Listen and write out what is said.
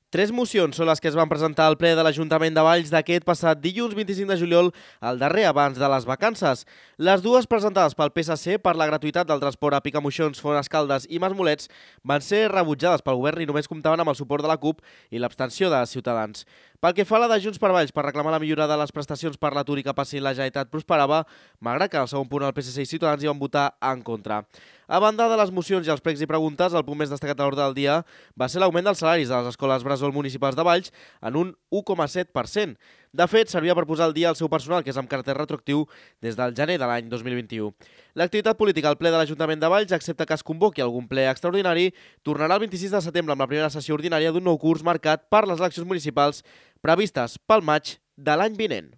Tres mocions són les que es van presentar al ple de l'Ajuntament de Valls d'aquest passat dilluns 25 de juliol, el darrer abans de les vacances. Les dues presentades pel PSC per la gratuïtat del transport a Picamoixons, Fonascaldes i Masmolets van ser rebutjades pel govern i només comptaven amb el suport de la CUP i l'abstenció de Ciutadans. Pel que fa a la de Junts per Valls per reclamar la millora de les prestacions per l'atur i que passi la Generalitat prosperava, malgrat que al segon punt el PSC i Ciutadans hi van votar en contra. A banda de les mocions i els pregs i preguntes, el punt més destacat a l'ordre del dia va ser l'augment dels salaris de les escoles bressol municipals de Valls en un 1,7%. De fet, servia per posar al dia el seu personal, que és amb caràcter retroactiu des del gener de l'any 2021. L'activitat política al ple de l'Ajuntament de Valls, excepte que es convoqui algun ple extraordinari, tornarà el 26 de setembre amb la primera sessió ordinària d'un nou curs marcat per les eleccions municipals previstes pel maig de l'any vinent.